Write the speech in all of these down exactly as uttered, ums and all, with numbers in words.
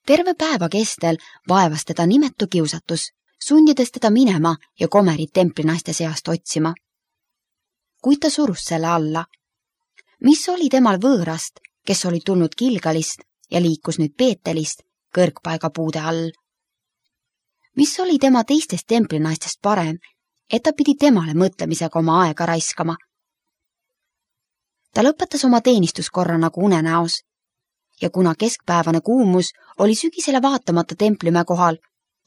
Terve päeva kestel vaevas teda nimetu kiusatus, sundides teda minema ja Komerit templinaiste seast otsima. Kuid ta surus selle alla. Mis oli temal võõrast, kes oli tulnud Gilgalist ja liikus nüüd Beetelist kõrgpaiga puude all? Mis oli tema teistest templinaistest parem, et ta pidi temale mõtlemisega oma aega raiskama? Ta lõpetas oma teenistuskorra nagu unenäos ja kuna keskpäevane kuumus oli sügisele vaatamata templimäe kohal,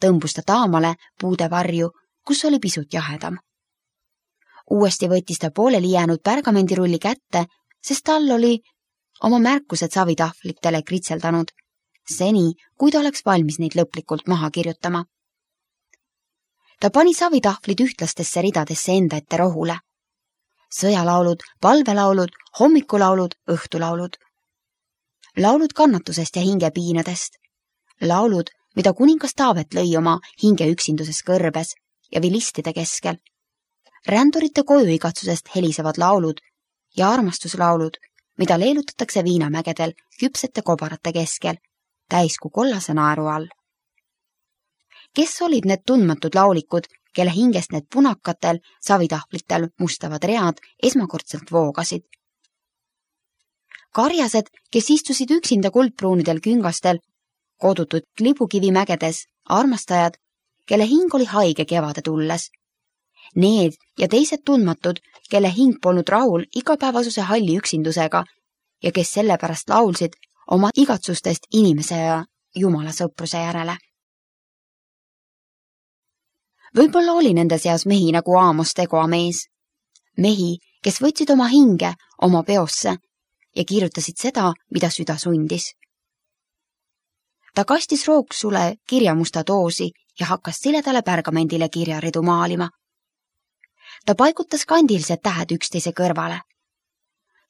tõmbus ta taamale puude varju, kus oli pisut jahedam. Uuesti võttis ta pooleli jäänud pärgamendirulli kätte, sest tal oli oma märkused savitahvlitele kritseldanud, seni, kui ta oleks valmis neid lõplikult maha kirjutama. Ta pani savitahvlid ühtlastesse ridadesse enda ette rohule. Sõjalaulud, palvelaulud, hommikulaulud, õhtulaulud. Laulud kannatusest ja hingepiinadest. Laulud, mida kuningas Taavet lõi oma hinge üksinduses kõrbes ja vilistide keskel. Rändurite kojuigatsusest helisevad laulud ja armastuslaulud, mida leelutatakse viinamägedel küpsete kobarate keskel, täiskuu kollase naeru all. Kes olid need tundmatud laulikud, kelle hingest need punakatel savitahvlitel mustavad read esmakordselt voogasid? Karjased, kes istusid üksinda kuldpruunidel küngastel, kodutud klibukivimägedes, armastajad, kelle hing oli haige kevade tulles. Need ja teised tundmatud, kelle hing polnud rahul igapäevasuse halli üksindusega ja kes sellepärast laulsid oma igatsustest inimese ja Jumala sõpruse järele. Võib-olla oli nende seas mehi nagu Aamos Tegoa mees. Mehi, kes võtsid oma hinge oma peosse ja kirjutasid seda, mida süda sundis. Ta kastis rooksule kirjamusta doosi ja hakkas siledale pärgamendile kirjaridu maalima. Ta paigutas kandilised tähed üksteise kõrvale.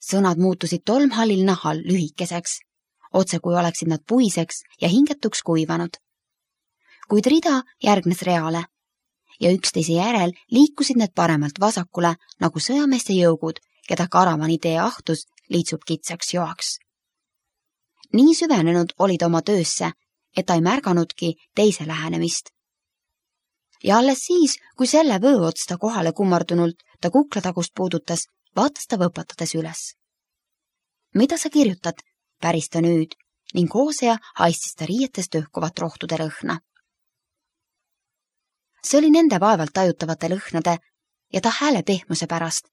Sõnad muutusid tolmhallil nahal lühikeseks, otse kui oleksid nad puiseks ja hingetuks kuivanud. Kuid rida järgnes reale ja üksteise järel liikusid need paremalt vasakule nagu sõjameeste jõugud, keda karavani tee ahtus liitsub kitsaks joaks. Nii süvenenud oli ta oma töösse, et ta ei märganudki teise lähenemist. Ja alles siis, kui selle vöö ots ta kohale kummardunult ta kuklatagust puudutas, vaatas ta võpatades üles. Mida sa kirjutad? Päris ta nüüd ning Hoosea haistis ta riietest õhkuvat rohtude lõhna. See oli nende vaevalt tajutavate lõhnade ja ta hääle pehmuse pärast,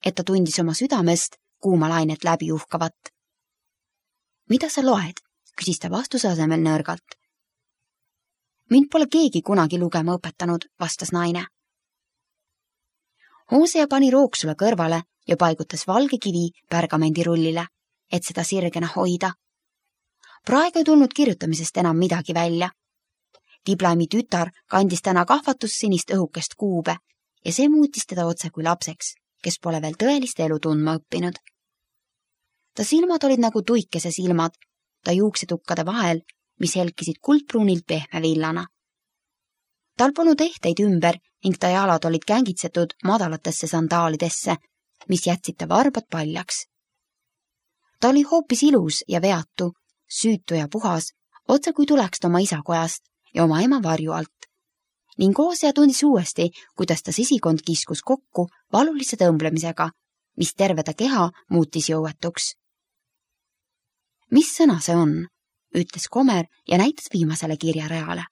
et ta tundis oma südamest kuuma lainet läbi uhkavat. Mida sa loed? Küsis ta vastuse asemel nõrgalt. Mind pole keegi kunagi lugema õpetanud, vastas naine. Hoosea pani rooksule kõrvale ja paigutas valge kivi pärgamendirullile, et seda sirgena hoida. Praegu ei tulnud kirjutamisest enam midagi välja. Diblaimi tütar kandis täna kahvatussinist õhukest kuube ja see muutis teda otse kui lapseks, kes pole veel tõelist elu tundma õppinud. Ta silmad olid nagu tuikese silmad, ta juuksetukkade vahel, mis helkisid kuldpruunilt pehme villana. Tal polnud ehteid ümber ning ta jalad olid kängitsetud madalatesse sandaalidesse, mis jätsid ta varbad paljaks. Ta oli hoopis ilus ja veatu, süütu ja puhas, otse kui tuleks ta oma isakojast ja oma ema varju alt. Ning Hoosea tundis uuesti, kuidas ta sisikond kiskus kokku valulise tõmblemisega, mis terve ta keha muutis jõuetuks. Mis sõna see on? Ütles Komer ja näitas viimasele kirjareale.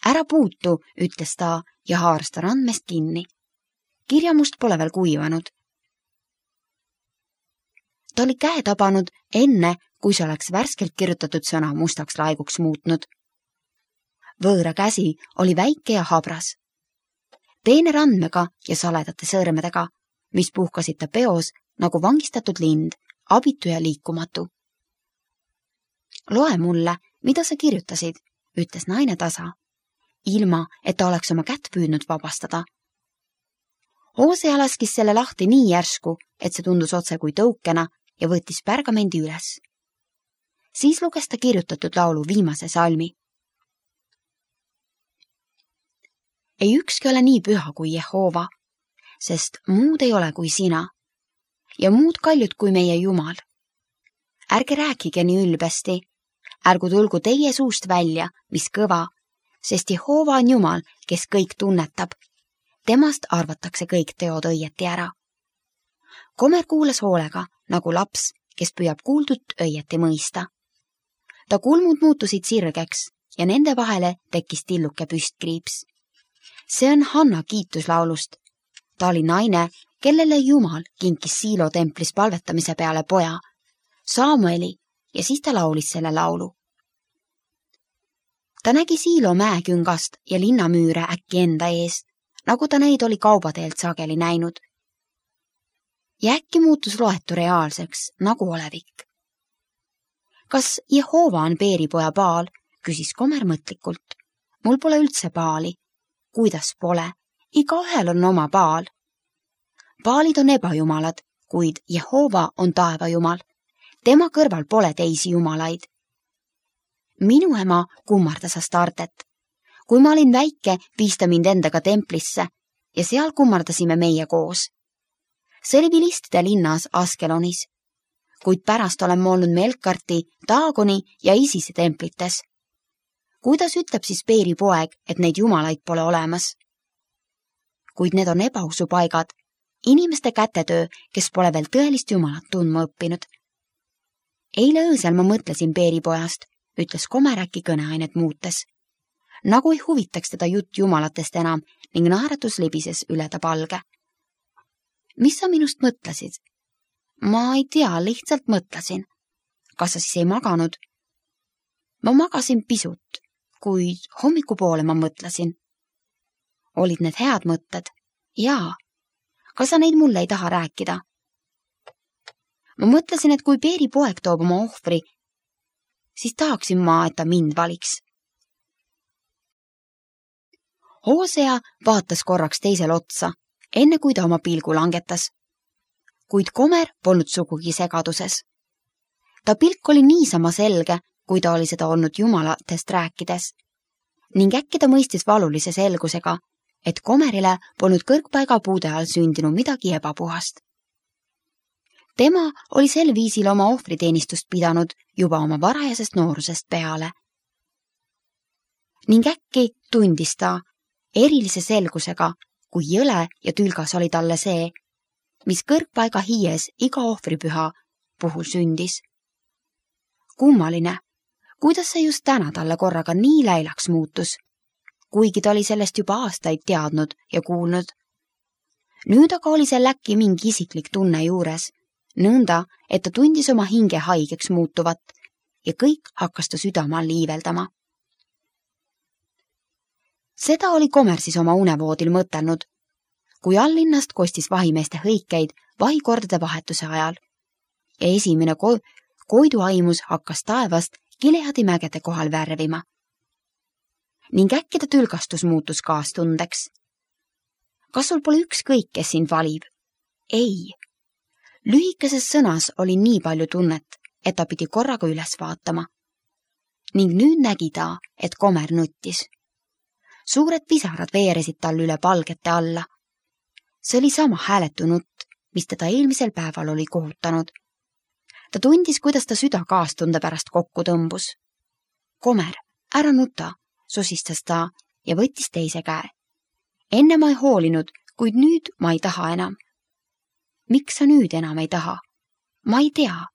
Ära puutu, ütles ta ja haaras ta randmest kinni. Kirjamust pole veel kuivanud. Ta oli käe tabanud enne, kui see oleks värskelt kirjutatud sõna mustaks laiguks muutnud. Võõra käsi oli väike ja habras. Peene randmega ja saledate sõrmedega, mis puhkasid ta peos nagu vangistatud lind, abitu ja liikumatu. Loe mulle, mida sa kirjutasid, ütles naine tasa, ilma, et ta oleks oma kätt püüdnud vabastada. Hoosea laskis selle lahti nii järsku, et see tundus otse kui tõukena ja võttis pärgamendi üles. Siis luges ta kirjutatud laulu viimase salmi. Ei ükski ole nii püha kui Jehova, sest muud ei ole kui sina ja muud kaljud kui meie Jumal. Ärge rääkige nii ülbesti, ärgu tulgu teie suust välja, mis kõva, sest Jehova on Jumal, kes kõik tunnetab. Temast arvatakse kõik teod õieti ära. Komer kuulas hoolega, nagu laps, kes püüab kuuldut õieti mõista. Ta kulmud muutusid sirgeks ja nende vahele tekkis tilluke püstkriips. See on Hanna kiituslaulust. Ta oli naine, kellele Jumal kinkis Siilo templis palvetamise peale poja, Samueli, ja siis ta laulis selle laulu. Ta nägi Siilo mäeküngast ja linnamüüre äkki enda ees, nagu ta neid oli kaubateelt sageli näinud. Ja äkki muutus loetu reaalseks, nagu olevik. Kas Jehova on Beeripoja Baal, küsis Komer mõtlikult. Mul pole üldse Baali. Kuidas pole? Igaühel on oma Baal. Baalid on ebajumalad, kuid Jehova on taevajumal. Tema kõrval pole teisi jumalaid. Minu ema kummardas Astartet. Kui ma olin väike, viis ta mind endaga templisse ja seal kummardasime meie koos. See oli Vilistide linnas Askelonis, kuid pärast olen ma olnud Melkarti, Daagoni ja Isise templites. Kuidas ütleb siis Beeri poeg, et neid jumalaid pole olemas? Kuid need on ebausupaigad, inimeste kätetöö, kes pole veel tõelist jumalat tundma õppinud. Eile öösel ma mõtlesin Beeri pojast, ütles Komer äkki kõneainet muutes. Nagu ei huvitaks teda jutt jumalatest enam ning naeratus libises üle ta palge. Mis sa minust mõtlesid? Ma ei tea, lihtsalt mõtlesin. Kas sa siis ei maganud? Ma magasin pisut, kuid hommikupoole ma mõtlesin. Olid need head mõtted? Jaa. Kas sa neid mulle ei taha rääkida? Ma mõtlesin, et kui Beeri poeg toob oma ohvri, siis tahaksin ma, et ta mind valiks. Hoosea vaatas korraks teisel otsa, enne kui ta oma pilgu langetas. Kuid Komer polnud sugugi segaduses. Ta pilk oli niisama selge, kui ta oli seda olnud jumalatest rääkides. Ning äkki ta mõistis valulise selgusega, et Komerile polnud kõrgpaiga puude all sündinud midagi ebapuhast. Tema oli sel viisil oma ohvriteenistust pidanud juba oma varajasest noorusest peale. Ning äkki tundis ta erilise selgusega, kui jõle ja tülgas oli talle see, mis kõrgpaiga hiies iga ohvripüha puhul sündis. Kummaline, kuidas see just täna talle korraga nii läilaks muutus, kuigi ta oli sellest juba aastaid teadnud ja kuulnud. Nüüd aga oli seal äkki mingi isiklik tunne juures, nõnda, et ta tundis oma hinge haigeks muutuvat ja kõik hakkas ta südama liiveldama. Seda oli Komer siis oma unevoodil mõtelnud, kui allinnast kostis vahimeeste hõikeid vahikordade vahetuse ajal ja esimene ko koiduaimus hakkas taevast Gileadi mägede kohal värvima. Ning äkki ta tülgastus muutus kaastundeks. Kas sul pole ükskõik, kes sind valib? Ei. Lühikeses sõnas oli nii palju tunnet, et ta pidi korraga üles vaatama. Ning nüüd nägi ta, et Komer nuttis. Suured pisarad veeresid tal üle palgete alla. See oli sama hääletu nutt, mis teda eelmisel päeval oli kohutanud. Ta tundis, kuidas ta süda kaastunde pärast kokku tõmbus. Komer, ära nuta, susistas ta ja võttis teise käe. Enne ma ei hoolinud, kuid nüüd ma ei taha enam. Miks sa nüüd enam ei taha? Ma ei tea.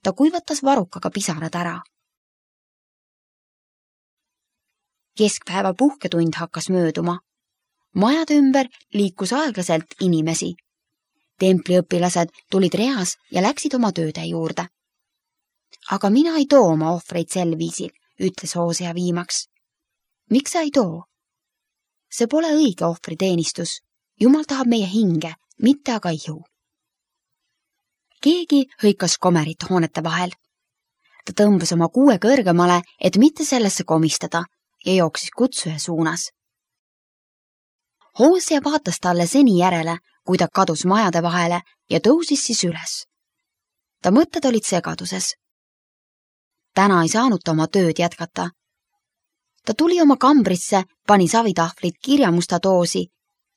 Ta kuivatas varukaga pisarad ära. Keskpäeva puhketund hakkas mööduma. Majade ümber liikus aeglaselt inimesi. Templiõpilased tulid reas ja läksid oma tööde juurde. Aga mina ei too oma ohvreid sel viisil, ütles Hoosea viimaks. Miks sa ei too? See pole õige ohvriteenistus. Jumal tahab meie hinge, mitte aga ihu. Keegi hõikas Komerit hoonete vahel. Ta tõmbas oma kuue kõrgemale, et mitte sellesse komistada ja jooksis kutsuja suunas. Hoosea vaatas talle seni järele, kui ta kadus majade vahele ja tõusis siis üles. Ta mõtted olid segaduses. Täna ei saanud ta oma tööd jätkata. Ta tuli oma kambrisse, pani savitahvlit kirjamusta doosi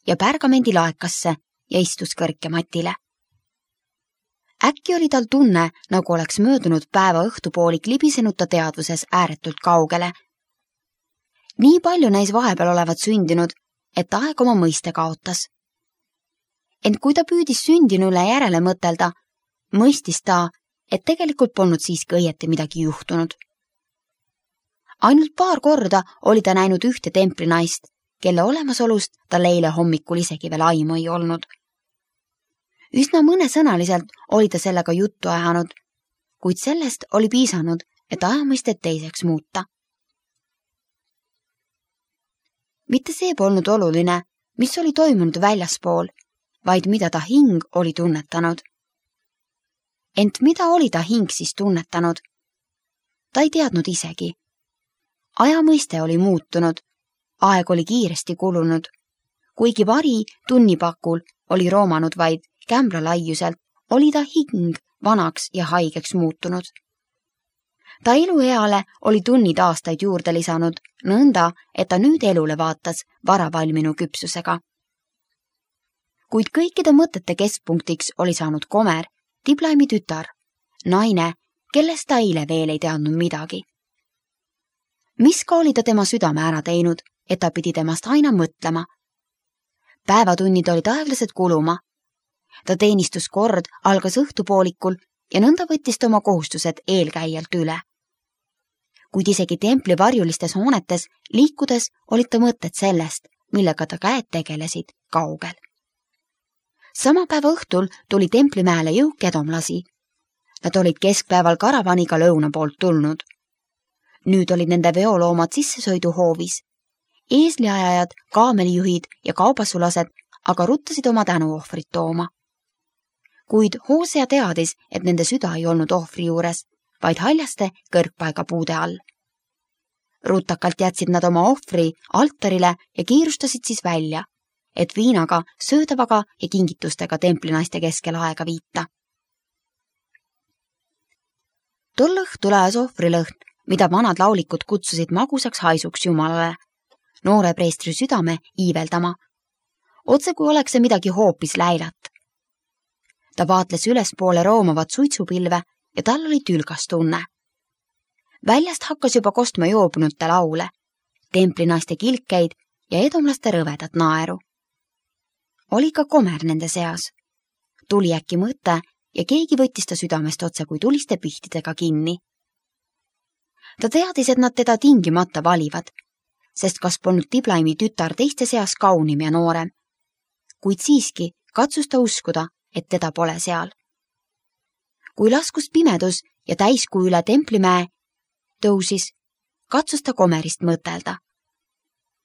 ja pärgamendi laekasse ja istus kõrke matile. Äkki oli tal tunne, nagu oleks möödunud päeva õhtupoolik libisenud ta teadvuses ääretult kaugele. Nii palju näis vahepeal olevat sündinud, et aeg oma mõiste kaotas. Ent kui ta püüdis sündinule järele mõtelda, mõistis ta, et tegelikult polnud siiski õieti midagi juhtunud. Ainult paar korda oli ta näinud ühte templinaist, kelle olemasolust tal eile hommikul isegi veel aimu ei olnud. Üsna mõnesõnaliselt oli ta sellega juttu ajanud, kuid sellest oli piisanud, et ajamõistet teiseks muuta. Mitte see polnud oluline, mis oli toimunud väljaspool, vaid mida ta hing oli tunnetanud. Ent mida oli ta hing siis tunnetanud? Ta ei teadnud isegi. Ajamõiste oli muutunud, aeg oli kiiresti kulunud, kuigi vari tunnipakul oli roomanud vaid kämbla laiuselt, oli ta hing vanaks ja haigeks muutunud. Ta elueale oli tunnid aastaid juurde lisanud, nõnda, et ta nüüd elule vaatas varavalminu küpsusega. Kuid kõikide mõtete keskpunktiks oli saanud Komer, Diblaimi tütar, naine, kellest ta eile veel ei teadnud midagi. Mis ka oli ta tema südame ära teinud, et ta pidi temast aina mõtlema. Päevatunnid olid aeglased kuluma. Ta teenistuskord algas õhtupoolikul ja nõnda võttis ta oma kohustused eelkäijalt üle. Kuid isegi templi varjulistes hoonetes liikudes olid ta mõtted sellest, millega ta käed tegelesid kaugel. Sama päeva õhtul tuli templimäele jõuk edomlasi. Nad olid keskpäeval karavaniga lõuna poolt tulnud. Nüüd olid nende veoloomad sissesõiduhoovis. Eesliajajad, kaamelijuhid ja kaubasulased aga ruttasid oma tänuohvrit tooma. Kuid Hosea teadis, et nende süda ei olnud ohvri juures, vaid haljaste kõrgpaiga puude all. Rutakalt jätsid nad oma ohvri altarile ja kiirustasid siis välja, et viinaga, söödavaga ja kingitustega templinaiste keskel aega viita. Tol õhtul ajas ohvrilõhn, mida vanad laulikud kutsusid magusaks haisuks Jumalale, noore preestri südame iiveldama. Otse kui oleks see midagi hoopis läilat. Ta vaatles ülespoole roomavat suitsupilve ja tal oli tülgas tunne. Väljast hakkas juba kostma joobunute laule, templinaiste kilkeid ja edomlaste rõvedat naeru. Oli ka Komer nende seas. Tuli äkki mõte ja keegi võttis ta südamest otse kui tuliste pihtidega kinni. Ta teadis, et nad teda tingimata valivad, sest kas polnud Diblaimi tütar teiste seas kaunim ja noorem. Kuid siiski katsus ta uskuda, et teda pole seal. Kui laskus pimedus ja täiskuu üle templimäe tõusis, katsus ta Komerist mõtelda,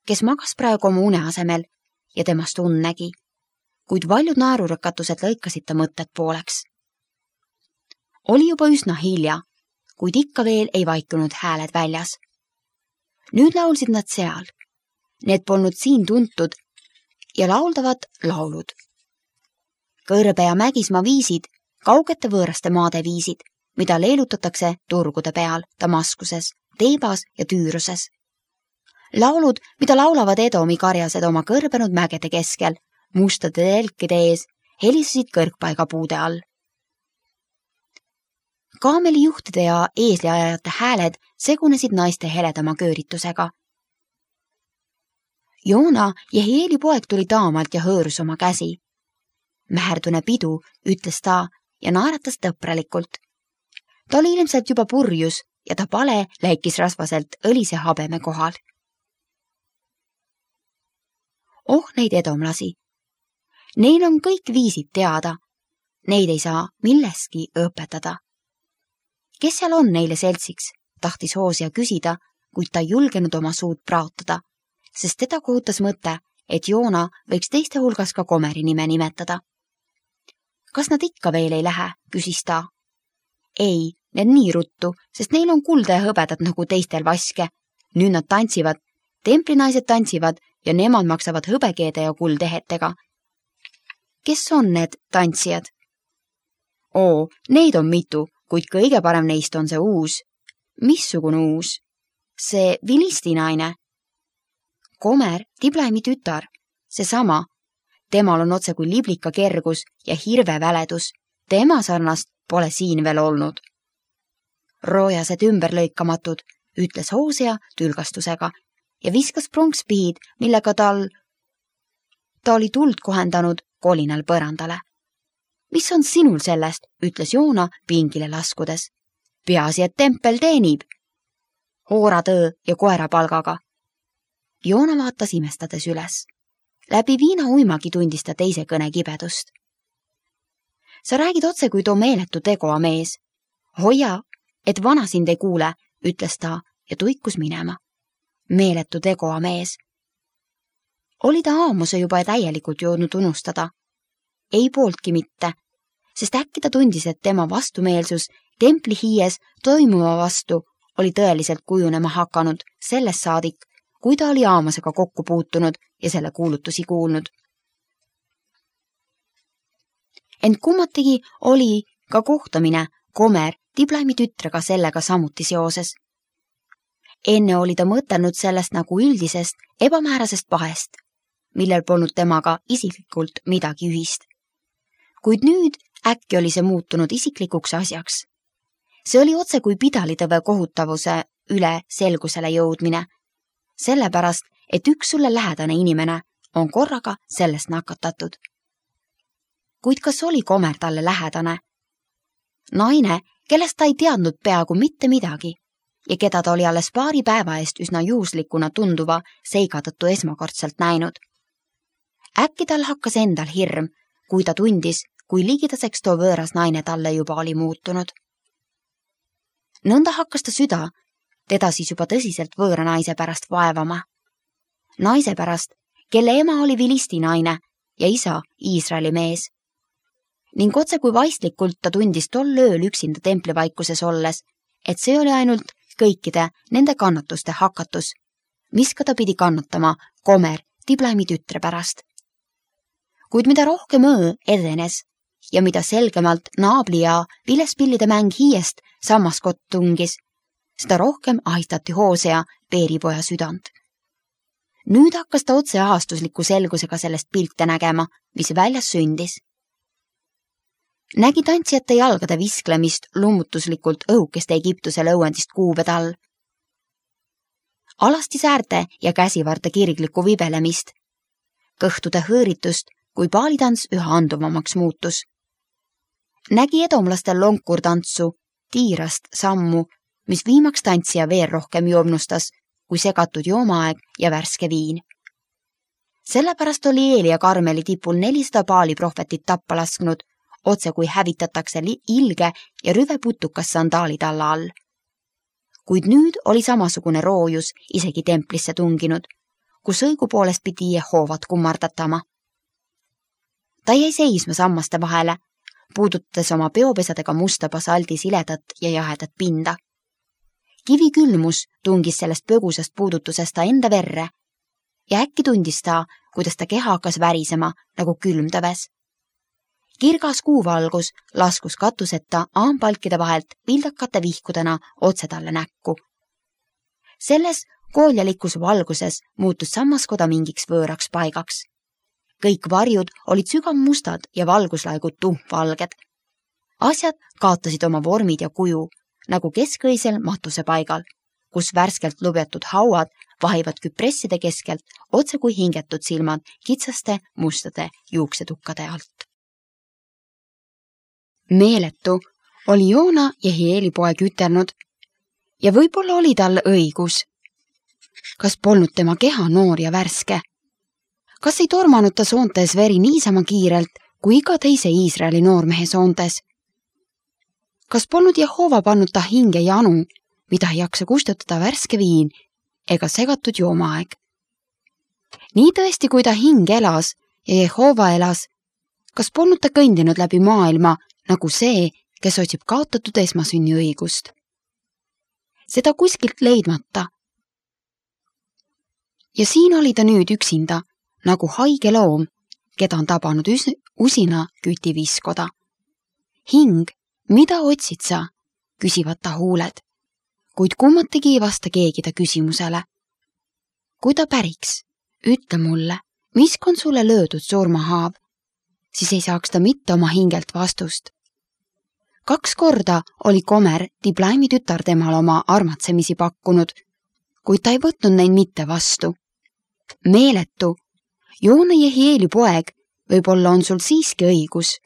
kes magas praegu oma une asemel ja temast und nägi, kuid valjud naerurõkatused lõikasid ta mõtted pooleks. Oli juba üsna hilja, kuid ikka veel ei vaikunud hääled väljas. Nüüd laulsid nad seal. Need polnud siin tuntud ja lauldavad laulud. Kõrbe ja mägismaa viisid, kaugete võõraste maade viisid, mida leelutatakse turgude peal, Damaskuses, Teebas ja Tüüruses. Laulud, mida laulavad Edomi karjased oma kõrbenud mägede keskel, mustade telkide ees, helisesid kõrgpaiga puude all. Kaamelijuhtide ja eesliajajate hääled segunesid naiste heledama kööritusega. Joona, Jehieli poeg, tuli taamalt ja hõõrus oma käsi. Mäherdune pidu, ütles ta ja naeratas tõpralikult. Ta oli ilmselt juba purjus ja ta pale läikis rasvaselt õlise habeme kohal. Oh, neid edomlasi. Neil on kõik viisid teada. Neid ei saa milleski õpetada. Kes seal on neile seltsiks, tahtis Hosea küsida, kuid ta ei julgenud oma suud praotada, sest teda kohutas mõte, et Joona võiks teiste hulgas ka Komeri nime nimetada. Kas nad ikka veel ei lähe, küsis ta. Ei, need nii ruttu, sest neil on kulda ja hõbedat nagu teistel vaske. Nüüd nad tantsivad, templinaised tantsivad ja nemad maksavad hõbekeede ja kuldehetega. Kes on need tantsijad? Oo, neid on mitu, kuid kõige parem neist on see uus. Missugune uus? See vilistinaine. Komer, Diblaimi tütar, see sama. Temal on otse kui liblika kergus ja hirve väledus tema sarnast pole siin veel olnud. Roojased ümberlõikamatud, ütles Hosea tülgastusega ja viskas pronkspihid, millega tal, ta oli tuld kohendanud kolinal põrandale. Mis on sinul sellest, ütles Joona pingile laskudes. Peaasi, et tempel teenib. Hooratöö ja koera palgaga. Joona vaatas imestades üles. Läbi viina uimagi tundis ta teise kõne kibedust. Sa räägid otse kui too meeletu tegoa mees. Hoia, et vana sind ei kuule, ütles ta ja tuikus minema. Meeletu tegoa mees. Oli ta aamuse juba täielikult jõudnud unustada. Ei pooltki mitte, sest äkki ta tundis, et tema vastumeelsus templi hiies toimuma vastu oli tõeliselt kujunema hakanud sellest saadik, kui ta oli aamusega kokku puutunud ja selle kuulutusi kuulnud. Ent kummatigi oli ka kohtamine Komer Diblaimi tütrega sellega samuti seoses. Enne oli ta mõtelnud sellest nagu üldisest ebamäärasest pahest, millel polnud temaga isiklikult midagi ühist. Kuid nüüd äkki oli see muutunud isiklikuks asjaks. See oli otse kui pidalitõve kohutavuse üle selgusele jõudmine, sellepärast, et üks sulle lähedane inimene on korraga sellest nakatatud. Kuid kas oli Komer talle lähedane? Naine, kellest ta ei teadnud peaaegu mitte midagi ja keda ta oli alles paari päeva eest üsna juhuslikuna tunduva seiga tõttu esmakordselt näinud. Äkki tal hakkas endal hirm, kui ta tundis, kui ligidaseks too võõras naine talle juba oli muutunud. Nõnda hakkas ta süda, teda siis juba tõsiselt võõra naise pärast vaevama. Naise pärast, kelle ema oli Filisti naine ja isa Iisraeli mees. Ning otse kui vaistlikult ta tundis tol ööl üksinda templivaikuses olles, et see oli ainult kõikide nende kannatuste hakatus, mis ka ta pidi kannatama Komer Diblaimi tütre pärast. Kuid mida rohkem öö edenes ja mida selgemalt naabli ja vilespillide mäng hiiest sammaskott tungis, seda rohkem ahistati Hosea peeripoja südant. Nüüd hakkas ta otse ahastusliku selgusega sellest pilte nägema, mis väljas sündis. Nägi tantsijate jalgade visklemist lummutuslikult õhukeste Egiptuse lõuendist kuubed all. Alasti säärte ja käsivarde kirglikku vibelemist, kõhtude hõõritust, kui paalitants üha anduvamaks muutus. Nägi edomlastel lonkurtantsu, tiirast sammu, mis viimaks tantsija veel rohkem joomnustas, kui segatud joomaaeg ja värske viin. Sellepärast oli Eeli ja Karmeli tipul nelisada paali prohvetit tappa lasknud, otse kui hävitatakse ilge ja rüve putukas sandaalid alla all. Kuid nüüd oli samasugune roojus isegi templisse tunginud, kus õigupoolest pidi Jehovat kummardatama. Ta jäi seisma sammaste vahele, puudutades oma peopesadega musta basaldi siledat ja jahedat pinda. Kivi külmus tungis sellest põgusast puudutusest ta enda verre ja äkki tundis ta, kuidas ta keha hakkas värisema nagu külmtöves. Kirgas kuuvalgus laskus katuseta aampalkide vahelt pildakate vihkudena otse talle näkku. Selles kooljalikus valguses muutus sammaskoda mingiks võõraks paigaks. Kõik varjud olid sügavmustad ja valguslaigud tuhmvalged. Asjad kaotasid oma vormid ja kuju, nagu keskõisel matuse paigal, kus värskelt lubjatud hauad vahivad küpresside keskelt otse kui hingetud silmad kitsaste mustade juuksetukkade alt. Meeletu oli Joona Jehieli poeg ütelnud ja võib-olla oli tal õigus. Kas polnud tema keha noor ja värske? Kas ei tormanud ta soontes veri niisama kiirelt kui iga teise Iisraeli noormehe soontes? Kas polnud Jehova pannud ta hinge janu, mida ei jaksa kustutada värske viin ega segatud joomaaeg? Nii tõesti, kui ta hing elas ja Jehova elas, kas polnud ta kõndinud läbi maailma nagu see, kes otsib kaotatud esmasünni õigust? Seda kuskilt leidmata. Ja siin oli ta nüüd üksinda, nagu haige loom, keda on tabanud üs usina kütiviskoda. Hing, mida otsid sa? Küsivad ta huuled, kuid kummatigi ei vasta keegi ta küsimusele. Kui ta päriks, ütle mulle, misk on sulle löödud surmahaav, siis ei saaks ta mitte oma hingelt vastust. Kaks korda oli Komer Diblaimi tütar temale oma armatsemisi pakkunud, kuid ta ei võtnud neid mitte vastu. Meeletu, Joona Jehieli poeg, võib-olla on sul siiski õigus.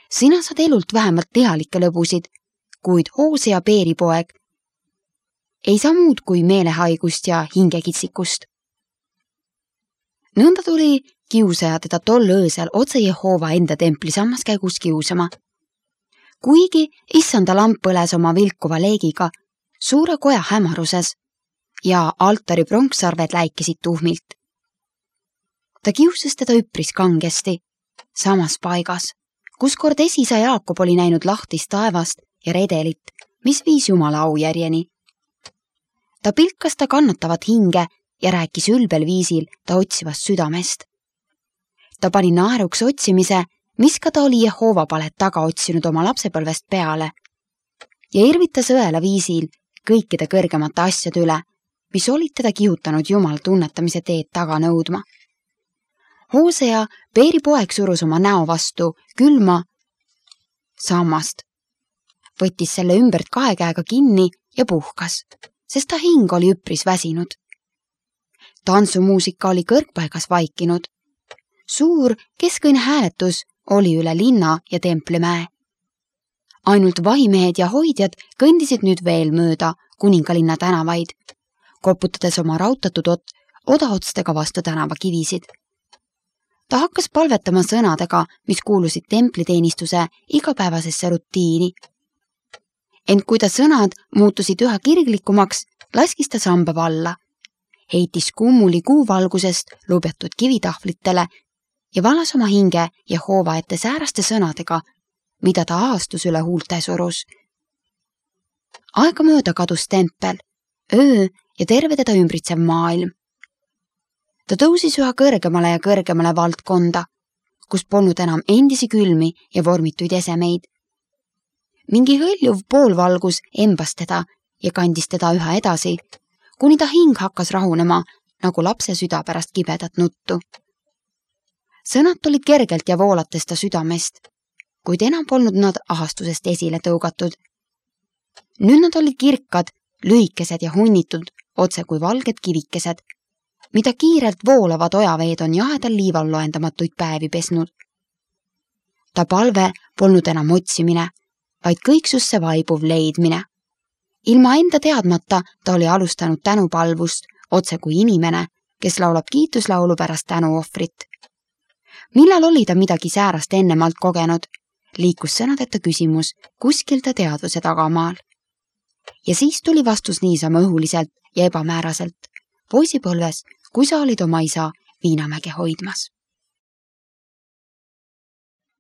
Sina saad elult vähemalt lihalikke lõbusid, kuid Hoosea Peeri poeg ei saa muud kui meelehaigust ja hingekitsikust. Nõnda tuli kiusaja teda tol öösel otse Jehova enda templi sammaskäigus kiusama. Kuigi issanda lamp põles oma vilkuva leegiga suure koja hämaruses ja altari pronksarved läikesid tuhmilt. Ta kiusas teda üpris kangesti, samas paigas, kus kord esisa Jaakob oli näinud lahtist taevast ja redelit, mis viis Jumala aujärjeni. Ta pilkas ta kannatavat hinge ja rääkis ülbel viisil ta otsivast südamest. Ta pani naeruks otsimise, mis ka ta oli Jehova palet taga otsinud oma lapsepõlvest peale ja irvitas õela viisil kõikide kõrgemate asjade üle, mis olid teda kihutanud Jumal tunnetamise teed taga nõudma. Hoosea Peeri poeg surus oma näo vastu külma sammast, võttis selle ümbert kahe käega kinni ja puhkas, sest ta hing oli üpris väsinud. Tantsumuusika oli kõrgpaigas vaikinud. Suur keskõine hääletus oli üle linna ja templimäe. Ainult vahimehed ja hoidjad kõndisid nüüd veel mööda kuningalinna tänavaid, koputades oma rautatud ot odaotstega vastu tänava kivisid. Ta hakkas palvetama sõnadega, mis kuulusid templiteenistuse igapäevasesse rutiini. Ent kui ta sõnad muutusid üha kirglikumaks, laskis ta samba valla, heitis kummuli kuuvalgusest lubetud kivitahvlitele ja valas oma hinge Jehova ette sääraste sõnadega, mida ta aastus üle huulte surus. Aegamööda kadus tempel, öö ja terve teda ümbritsev maailm. Ta tõusis üha kõrgemale ja kõrgemale valdkonda, kus polnud enam endisi külmi ja vormituid esemeid. Mingi hõljuv poolvalgus embas teda ja kandis teda üha edasi, kuni ta hing hakkas rahunema nagu lapse süda pärast kibedat nuttu. Sõnad tulid kergelt ja voolates ta südamest, kuid enam polnud nad ahastusest esile tõugatud. Nüüd nad olid kirkad, lühikesed ja hunnitud, otse kui valged kivikesed, mida kiirelt voolavad ojaveed on jahedal liival loendamatuid päevi pesnud. Ta palve polnud enam otsimine, vaid kõiksusse vaibuv leidmine. Ilma enda teadmata ta oli alustanud tänupalvust, otse kui inimene, kes laulab kiituslaulu pärast tänuohvrit. Millal oli ta midagi säärast ennemalt kogenud, liikus sõnadeta küsimus kuskil ta teadvuse tagamaal. Ja siis tuli vastus niisama õhuliselt ja ebamääraselt, poisipõlves, kui sa olid oma isa Viinamäge hoidmas.